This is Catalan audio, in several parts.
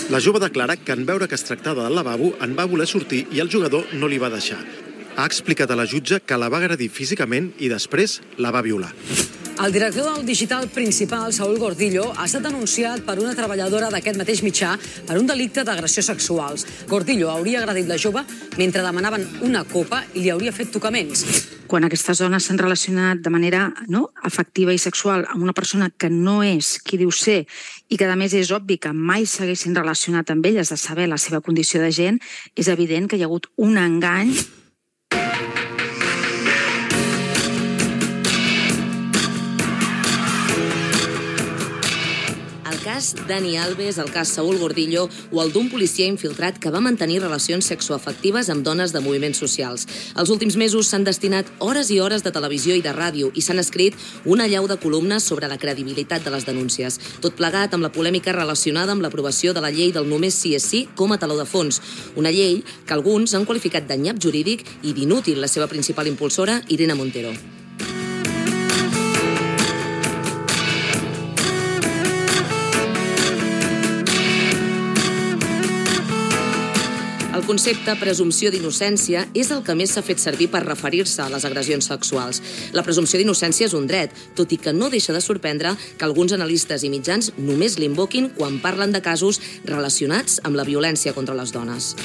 La jove declara que en veure que es tractava del lavabo en va voler sortir i el jugador no li va deixar. Ha explicat a la jutge que la va agredir físicament i després la va violar. El director del digital principal, Saúl Gordillo, ha estat denunciat per una treballadora d'aquest mateix mitjà per un delicte d'agressió sexuals. Gordillo hauria agredit la jove mentre demanaven una copa i li hauria fet tocaments. Quan aquestes dones s'han relacionat de manera afectiva i sexual amb una persona que no és qui diu ser i que a més és obvi que mai s'haguessin relacionat amb elles de saber la seva condició de gent, és evident que hi ha hagut un engany. El cas Dani Alves, el cas Saúl Gordillo o el d'un policia infiltrat que va mantenir relacions sexoafectives amb dones de moviments socials. Els últims mesos s'han destinat hores i hores de televisió i de ràdio i s'han escrit una allau de columnes sobre la credibilitat de les denúncies. Tot plegat amb la polèmica relacionada amb l'aprovació de la llei del només sí és sí com a taló de fons. Una llei que alguns han qualificat de nyap jurídic i d'inútil la seva principal impulsora, Irene Montero. El concepte presumpció d'innocència és el que més s'ha fet servir per referir-se a les agressions sexuals. La presumpció d'innocència és un dret, tot i que no deixa de sorprendre que alguns analistes i mitjans només l'invoquin quan parlen de casos relacionats amb la violència contra les dones.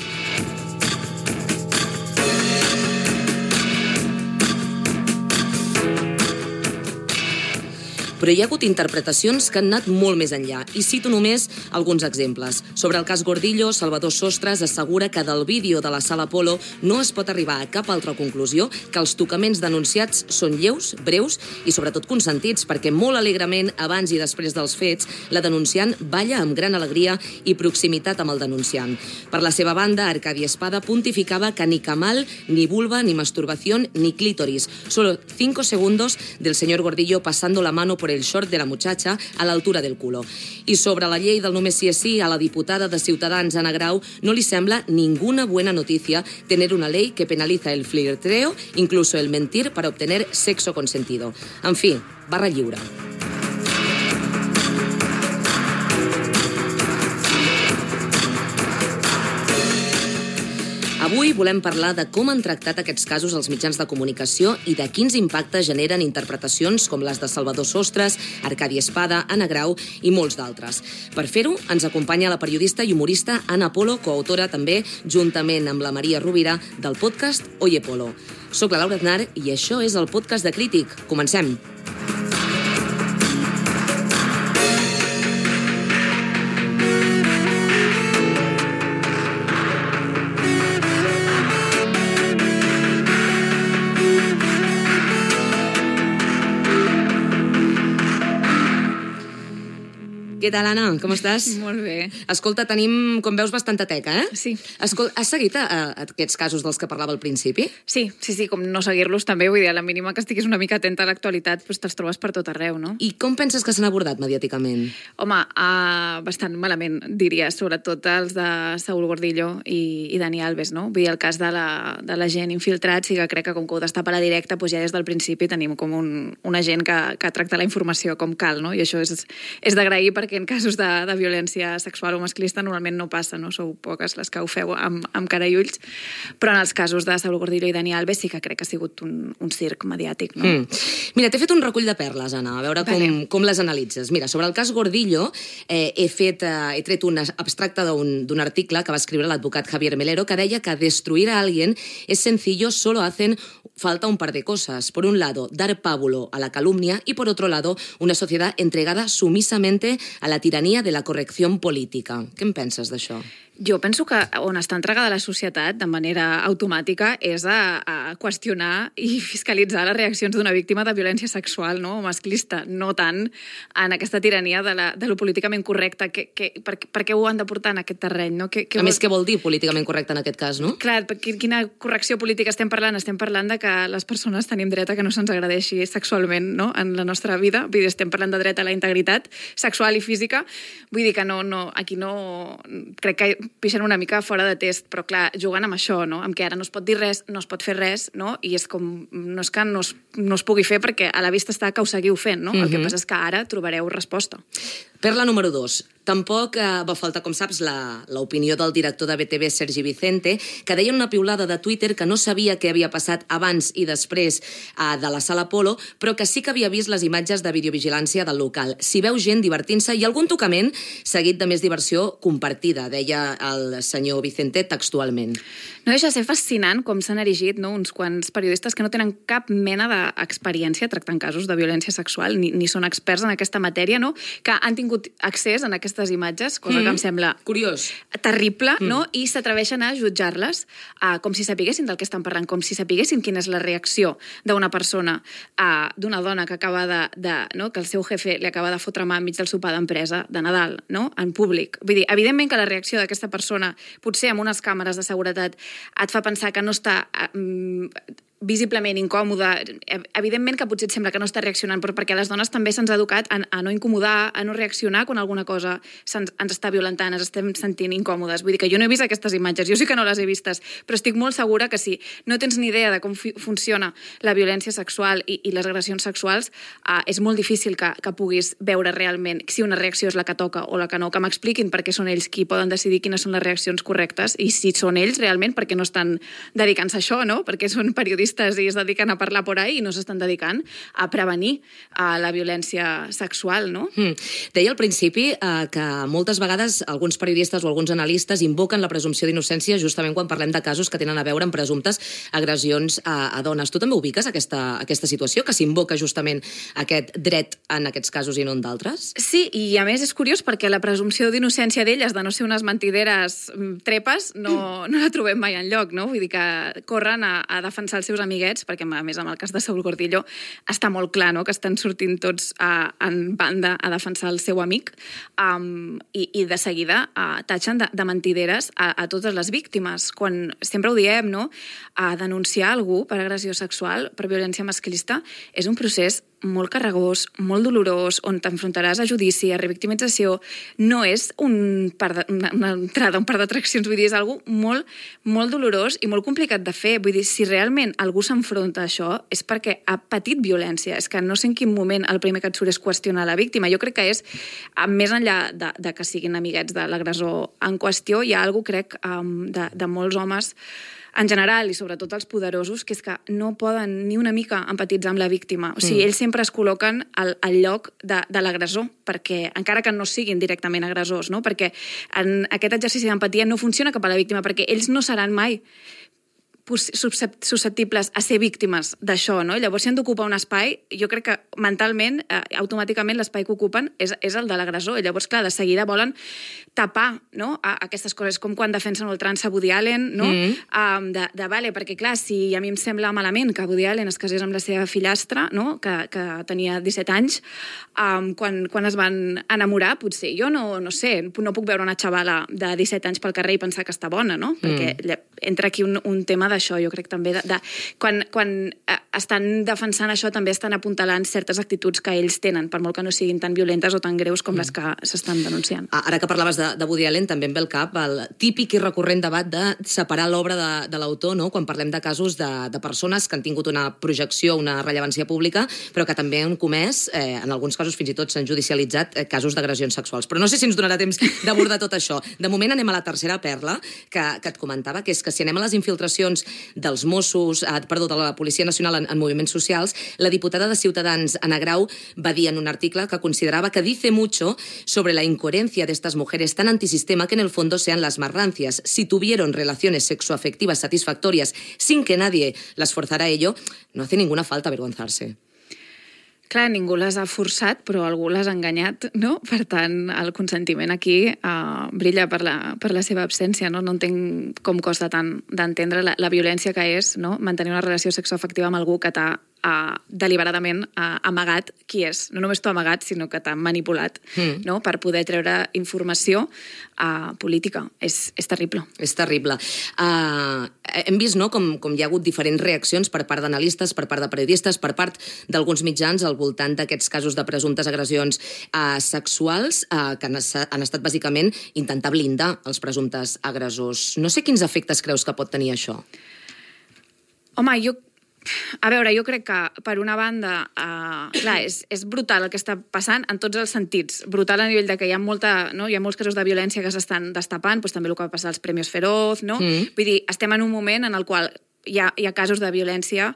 Però hi ha hagut interpretacions que han anat molt més enllà, i cito només alguns exemples. Sobre el cas Gordillo, Salvador Sostres assegura que del vídeo de la Sala Apolo no es pot arribar a cap altra conclusió que els tocaments denunciats són lleus, breus i sobretot consentits, perquè molt alegrement, abans i després dels fets, la denunciant balla amb gran alegria i proximitat amb el denunciant. Per la seva banda, Arcadi Espada pontificava que ni camal, ni vulva, ni masturbación, ni clítoris. Solo 5 segundos del señor Gordillo pasando la mano por el short de la muchacha a l'altura del culo. I sobre la llei del només sí és sí, a la diputada de Ciutadans, Ana Grau, no li sembla ninguna buena noticia tener una ley que penaliza el flirteo, incluso el mentir para obtener sexo consentido. En fi, barra lliure. Avui volem parlar de com han tractat aquests casos els mitjans de comunicació i de quins impactes generen interpretacions com les de Salvador Sostres, Arcadi Espada, Ana Grau i molts d'altres. Per fer-ho, ens acompanya la periodista i humorista Ana Polo, coautora també, juntament amb la Maria Rovira, del podcast Oye Polo. Soc la Laura Aznar i això és el podcast de Crític. Comencem! Què tal, Anna? Com estàs? Molt bé. Escolta, tenim, com veus, bastanta teca, eh? Sí. Escolta, has seguit aquests casos dels que parlava al principi? Sí, com no seguir-los també, vull dir, a la mínima que estiguis una mica atenta a l'actualitat, doncs te'ls trobes per tot arreu, no? I com penses que s'han abordat mediàticament? Home, bastant malament, diria, sobretot els de Saúl Gordillo i Dani Alves, no? Vull dir, el cas de la gent infiltrat, sí que crec que com que ho destapa a la directa, doncs ja des del principi tenim com una gent que tracta la informació com cal, no? I això és d'agrair perquè en casos de violència sexual o masclista normalment no passa, no? Sou poques les que ho feu amb cara i ulls, però en els casos de Saúl Gordillo i Dani Alves sí que crec que ha sigut un circ mediàtic, no? Mira, t'he fet un recull de perles, Anna, a veure com les analitzes. Mira, sobre el cas Gordillo he tret un abstracte d'un article que va escriure l'advocat Javier Melero que deia que destruir a alguien es sencillo, solo hacen falta un par de cosas. Por un lado, dar pábulo a la calumnia y por otro lado, una sociedad entregada sumisamente a la tiranía de la corrección política. Què en penses d'això? Jo penso que on està entregada la societat de manera automàtica és a qüestionar i fiscalitzar les reaccions d'una víctima de violència sexual, no? O masclista, no tant en aquesta tirania de lo políticament correcte. Per què ho han de portar en aquest terreny? No? A més, què vol dir políticament correcte en aquest cas, no? Clar, quina correcció política estem parlant? Estem parlant de que les persones tenim dret a que no se'ns agradeixi sexualment, no? En la nostra vida. Vull dir, estem parlant de dret a la integritat sexual i física. Vull dir que aquí no... Crec que pixen una mica fora de test, però clar, jugant amb això, no? Amb que ara no es pot dir res, no es pot fer res, no? I és com, no és que no es pugui fer perquè a la vista està que ho seguiu fent, no? El que passa és que ara trobareu resposta. Perla número 2. Tampoc va faltar, com saps, l'opinió del director de BTV, Sergi Vicente, que deia en una piulada de Twitter que no sabia què havia passat abans i després de la Sala Apolo, però que sí que havia vist les imatges de videovigilància del local. S'hi veu gent divertint-se i algun tocament seguit de més diversió compartida, deia el senyor Vicente textualment. No deixa de ser fascinant com s'han erigit uns quants periodistes que no tenen cap mena d'experiència tractant casos de violència sexual, ni són experts en aquesta matèria, que han tingut accés a aquestes imatges, cosa que em sembla curiós, terrible, i s'atreveixen a jutjar-les com si sapiguessin del que estan parlant, com si sapiguessin quina és la reacció d'una persona, d'una dona que acaba que el seu jefe li acaba de fotre mà enmig del sopar d'empresa de Nadal, en públic. Vull dir, evidentment que la reacció d'aquesta persona, potser amb unes càmeres de seguretat, et fa pensar que no està visiblement incòmoda. Evidentment que potser et sembla que no està reaccionant, però perquè a les dones també se'ns ha educat a no incomodar, a no reaccionar quan alguna cosa ens està violentant, ens estem sentint incòmodes. Vull dir que jo no he vist aquestes imatges, jo sí que no les he vistes, però estic molt segura que si no tens ni idea de com funciona la violència sexual i les agressions sexuals, és molt difícil que puguis veure realment si una reacció és la que toca o la que no, que m'expliquin per què són ells qui poden decidir quines són les reaccions correctes i si són ells realment perquè no estan dedicant-se a això, perquè són periodistes i es dediquen a parlar por ahí i no s'estan dedicant a prevenir la violència sexual, no? Deia al principi que moltes vegades alguns periodistes o alguns analistes invoquen la presumpció d'innocència justament quan parlem de casos que tenen a veure amb presumptes agressions a dones. Tu també ubiques aquesta situació, que s'invoca justament aquest dret en aquests casos i no en d'altres? Sí, i a més és curiós perquè la presumpció d'innocència d'elles, de no ser unes mentideres trepes, no la trobem mai enlloc, no? Vull dir que corren a defensar els seus amiguets, perquè a més amb el cas de Saúl Gordillo està molt clar que estan sortint tots en banda a defensar el seu amic i de seguida tatxen de mentideres a totes les víctimes. Quan sempre ho diem, a denunciar algú per agressió sexual, per violència masclista, és un procés molt carregós, molt dolorós, on t'enfrontaràs a judici, a revictimització. No és una entrada, un par d'atraccions, vull dir, és algo molt, molt dolorós i molt complicat de fer. Vull dir, si realment algú s'enfronta a això és perquè ha patit violència. És que no sé en quin moment el primer que et surt és qüestionar la víctima. Jo crec que és, més enllà de que siguin amiguets de l'agressor en qüestió, hi ha algo, crec, de molts homes en general, i sobretot els poderosos, que és que no poden ni una mica empatitzar amb la víctima. O sigui, ells sempre es col·loquen al lloc de l'agressor, perquè, encara que no siguin directament agressors, perquè en aquest exercici d'empatia no funciona cap a la víctima, perquè ells no seran mai susceptibles a ser víctimes d'això, Llavors, si han d'ocupar un espai, jo crec que mentalment, automàticament, l'espai que ocupen és el de l'agressor. I llavors, clar, de seguida volen tapar aquestes coses, com quan defensen ultrança Woody Allen, perquè, clar, si a mi em sembla malament que Woody Allen es casés amb la seva fillastra, que tenia 17 anys, quan es van enamorar, potser jo no sé, no puc veure una xavala de 17 anys pel carrer i pensar que està bona, perquè entra aquí un tema d'això, jo crec també, quan estan defensant això també estan apuntalant certes actituds que ells tenen, per molt que no siguin tan violentes o tan greus com les que s'estan denunciant. Ara que parlaves de Woody Allen, també em ve al cap el típic i recurrent debat de separar l'obra de l'autor, quan parlem de casos de persones que han tingut una projecció, una rellevància pública, però que també han comès, en alguns casos fins i tot s'han judicialitzat casos d'agressions sexuals. Però no sé si ens donarà temps d'abordar tot això. De moment anem a la tercera perla que et comentava, que és que si anem a les infiltracions dels Mossos, de la Policia Nacional en moviments socials, la diputada de Ciutadans, Ana Grau, va dir en un article que considerava que dice mucho sobre la incoherencia de estas mujeres tan antisistema que en el fondo sean las más rancias. Si tuvieron relaciones sexoafectivas satisfactorias sin que nadie las forzara a ello, no hace ninguna falta avergonzarse. Clar, ningú les ha forçat, però algú les ha enganyat, Per tant, el consentiment aquí brilla per la seva absència, no entenc com costa tant d'entendre la violència que és, mantenir una relació sexoafectiva amb algú que t'ha deliberadament amagat qui és. No només t'ho ha amagat, sinó que t'ha manipulat per poder treure informació política. És terrible. És terrible. Hem vist com hi ha hagut diferents reaccions per part d'analistes, per part de periodistes, per part d'alguns mitjans al voltant d'aquests casos de presumptes agressions sexuals que han estat bàsicament intentar blindar els presumptes agressors. No sé quins efectes creus que pot tenir això. Home, jo A veure, jo crec que, per una banda, clar, és brutal el que està passant en tots els sentits. Brutal a nivell de que hi ha molts casos de violència que s'estan destapant, doncs també el que va passar als Premios Feroz, no? Vull dir, estem en un moment en el qual hi ha casos de violència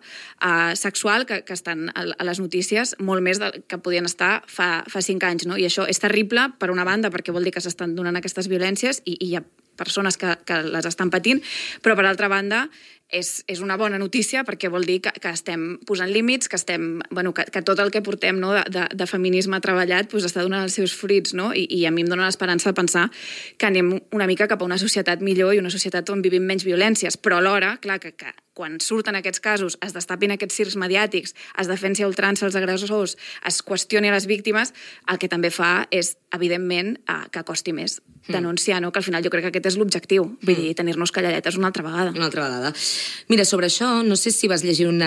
sexual que estan a les notícies molt més del que podien estar fa 5 anys, no? I això és terrible, per una banda, perquè vol dir que s'estan donant aquestes violències i hi ha persones que les estan patint, però per altra banda és una bona notícia perquè vol dir que estem posant límits, que tot el que portem de feminisme treballat està donant els seus fruits, no? I a mi em dona l'esperança de pensar que anem una mica cap a una societat millor i una societat on vivim menys violències, però alhora, clar, que quan surten aquests casos, es destapin aquests circs mediàtics, es defensi a ultrança els agressors, es qüestioni a les víctimes, el que també fa és, evidentment, que costi més denunciar, no? Que al final jo crec que aquest és l'objectiu, vull dir, tenir-nos calladetes una altra vegada. Una altra vegada. Mira, sobre això, no sé si vas llegir un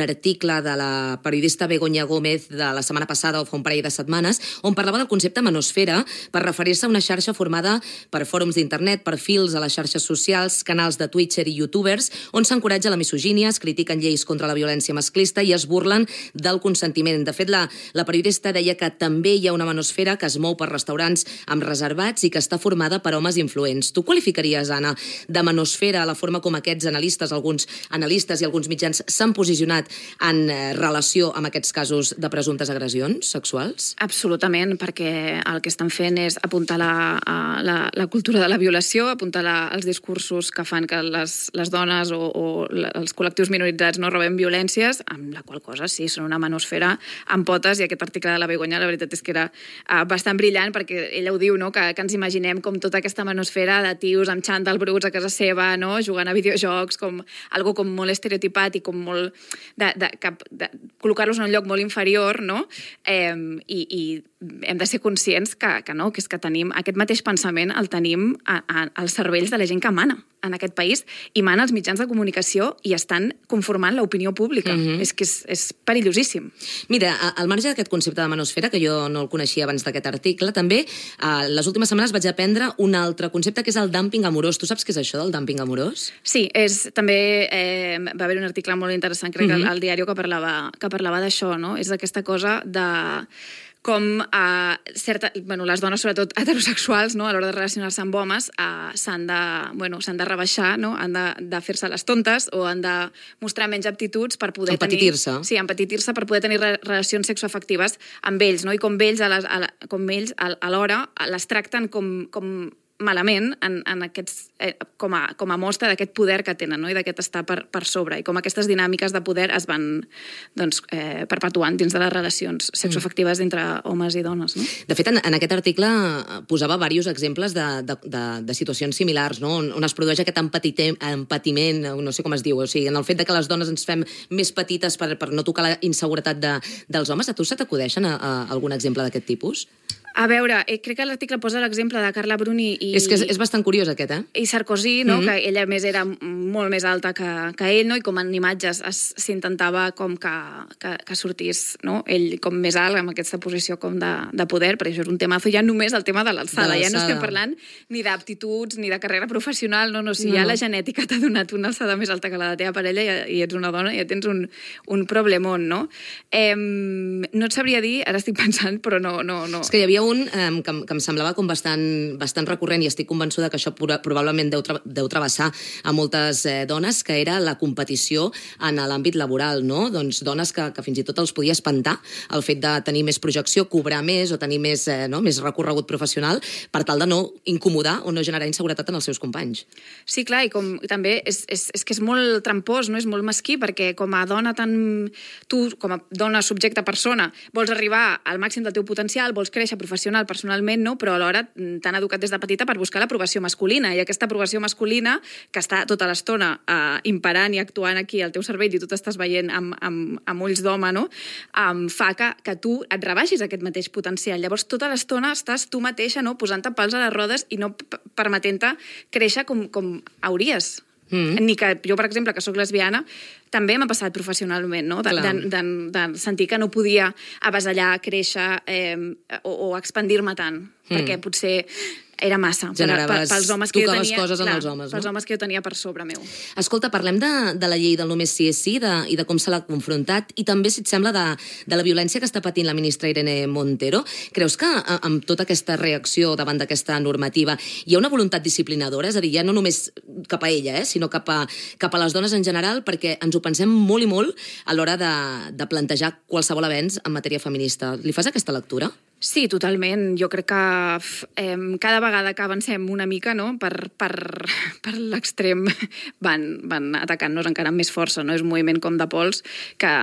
article de la periodista Begoña Gómez de la setmana passada o fa un parell de setmanes, on parlava del concepte manosfera per referir-se a una xarxa formada per fòrums d'internet, perfils a les xarxes socials, canals de Twitter i youtubers, on s'encoratja la misogínia, es critiquen lleis contra la violència masclista i es burlen del consentiment. De fet, la periodista deia que també hi ha una manosfera que es mou per restaurants amb reservats i que està formada per homes influents. Tu qualificaries, Anna, de manosfera la forma com aquests analistes, alguns analistes i alguns mitjans s'han posicionat en relació amb aquests casos de presumptes agressions sexuals? Absolutament, perquè el que estan fent és apuntar la cultura de la violació, apuntar els discursos que fan que les dones o els col·lectius minoritzats no rebem violències, amb la qual cosa sí, són una manosfera amb potes, i aquest article de la Begoña la veritat és que era bastant brillant, perquè ella ho diu, no? que ens imaginem com tota aquesta manosfera de tios amb xandall bruts a casa seva, no? Jugant a videojocs, com algo com molt estereotipat i com molt de col·locar-los en un lloc molt inferior, no? I hem de ser conscients que no, que és que tenim aquest mateix pensament, el tenim als cervells de la gent que mana en aquest país i mana als mitjans de comunicació i estan conformant l'opinió pública. És que és perillosíssim. Mira, al marge d'aquest concepte de manosfera, que jo no el coneixia abans d'aquest article, també les últimes setmanes vaig aprendre un altre concepte que és el dumping amorós. Tu saps què és això del dumping amorós? Sí, també va haver un article molt interessant, crec, al diari que parlava d'això, no? És aquesta cosa de com les dones, sobretot heterosexuals, no, a l'hora de relacionar-se amb homes, s'han de rebaixar, no? Han de fer-se les tontes o han de mostrar menys aptituds per poder empetitir-se. Sí, empetitir-se per poder tenir relacions sexoafectives amb ells, no? I com ells alhora les tracten com malament en aquests, com a mostra d'aquest poder que tenen, no? I d'aquest estar per sobre, i com aquestes dinàmiques de poder es van perpetuant dins de les relacions sexoafectives entre homes i dones, no? De fet, en aquest article posava diversos exemples de situacions similars, no? On es produeix aquest empatiment, no sé com es diu, o sigui, en el fet de que les dones ens fem més petites per no tocar la inseguretat dels homes. A tu se t'acudeixen algun exemple d'aquest tipus? A veure, crec que l'article posa l'exemple de Carla Bruni i... És que és bastant curiós, aquest, I Sarkozy, no? Que ella, més, era molt més alta que ell, no? I com en imatges s'intentava com que sortís, no? Ell com més alt, amb aquesta posició com de poder, perquè això és un temazo, ja només el tema de l'alçada. Ja no estem parlant ni d'aptituds, ni de carrera professional, no, si ja la genètica t'ha donat una alçada més alta que la de la teva parella i ets una dona, ja tens un problemón, no? No et sabria dir, ara estic pensant, però no. És que hi havia un que em semblava com bastant recurrent, i estic convençuda que això probablement deu travessar a moltes dones, que era la competició en l'àmbit laboral, no? Doncs dones que fins i tot els podia espantar el fet de tenir més projecció, cobrar més o tenir més recorregut professional per tal de no incomodar o no generar inseguretat en els seus companys. Sí, clar, i com també és que és molt trampós, no? És molt mesquí, perquè com a dona tu, com a dona, subjecte, persona, vols arribar al màxim del teu potencial, vols créixer personalment, no? Però alhora t'han educat des de petita per buscar l'aprovació masculina, i aquesta aprovació masculina, que està tota l'estona imperant i actuant aquí al teu cervell i tu t'estàs veient amb ulls d'home, no? Fa que tu et rebaixis aquest mateix potencial. Llavors, tota l'estona estàs tu mateixa, no? Posant-te pals a les rodes i no permetent-te créixer com hauries. Ni que jo, per exemple, que sóc lesbiana, també m'ha passat professionalment, no? De sentir que no podia avasallar, créixer o expandir-me tant, perquè potser era massa pels homes que jo tenia. Coses en els homes, pels homes que jo tenia per sobre meu. Escolta, parlem de la llei del només sí és sí i de com se l'ha confrontat i també, si et sembla, de la violència que està patint la ministra Irene Montero. Creus que amb tota aquesta reacció davant d'aquesta normativa hi ha una voluntat disciplinadora? És a dir, ja no només cap a ella, sinó cap a les dones en general, perquè ens ho pensem molt i molt a l'hora de plantejar qualsevol avenç en matèria feminista. Li fas aquesta lectura? Sí, totalment. Jo crec que cada vegada que avancem una mica, no, per l'extrem van atacant-nos encara amb més força. No? És un moviment com de pols que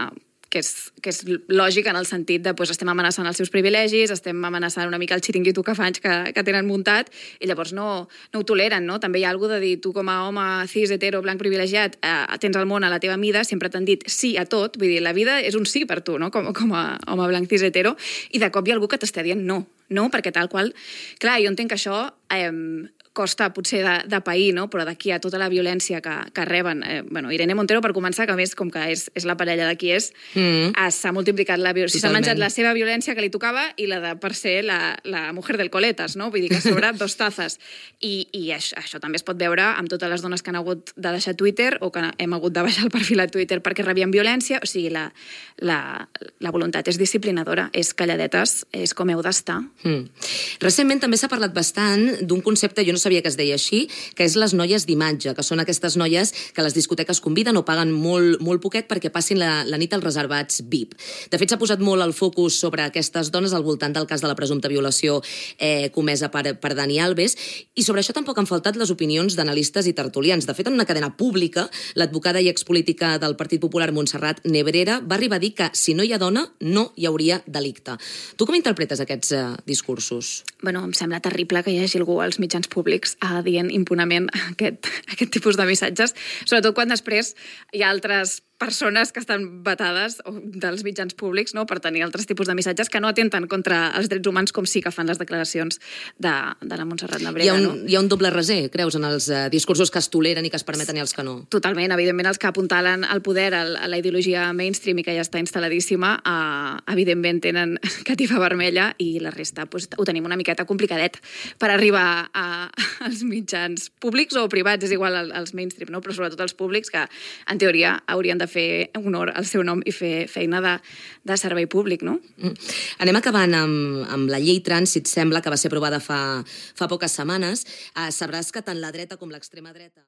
és lògic en el sentit de estem amenaçant els seus privilegis, estem amenaçant una mica el xiringuito que fa anys que tenen muntat, i llavors no ho toleren, no? També hi ha alguna de dir, tu com a home cis, hetero, blanc, privilegiat, tens el món a la teva mida, sempre t'han dit sí a tot, vull dir, la vida és un sí per tu, no? Com a home blanc, cis, hetero, i de cop hi ha algú que t'està dient no, perquè tal qual... Clar, jo entenc que això costa potser de pair, no? Però d'aquí a tota la violència que reben... Irene Montero, per començar, que a més, com que és la parella de qui s'ha multiplicat la violència. S'ha menjat la seva violència que li tocava i la de, per ser, la mujer del coletas, no? Vull dir que sobre dos tazes. I això també es pot veure amb totes les dones que han hagut de deixar Twitter o que hem hagut de baixar el perfil a Twitter perquè rebien violència. O sigui, la voluntat és disciplinadora, és calladetes, és com heu d'estar. Recentment també s'ha parlat bastant d'un concepte, jo no sabia que es deia així, que és les noies d'imatge, que són aquestes noies que les discoteques conviden o paguen molt poquet perquè passin la nit als reservats VIP. De fet, s'ha posat molt el focus sobre aquestes dones al voltant del cas de la presumpta violació comesa per Dani Alves, i sobre això tampoc han faltat les opinions d'analistes i tertulians. De fet, en una cadena pública, l'advocada i expolítica del Partit Popular, Montserrat Nebrera, va arribar a dir que si no hi ha dona, no hi hauria delicte. Tu com interpretes aquests discursos? Em sembla terrible que hi hagi algú als mitjans públics dient impunament aquest tipus de missatges, sobretot quan després hi ha altres persones que estan vetades dels mitjans públics, no?, per tenir altres tipus de missatges que no atenten contra els drets humans, com sí que fan les declaracions de la Montserrat Nebrera. Hi ha un doble raser, creus, en els discursos que es toleren i que es permeten i els que no? Totalment. Evidentment, els que apuntalen al poder, a la ideologia mainstream i que ja està instal·ladíssima, evidentment tenen catifa vermella, i la resta ho tenim una miqueta complicadet per arribar als mitjans públics o privats, és igual als mainstream, no?, però sobretot als públics, que en teoria haurien de fer honor al seu nom i fer feina de servei públic, no? Anem acabant amb la llei trans, si et sembla, que va ser aprovada fa poques setmanes. Sabràs que tant la dreta com l'extrema dreta...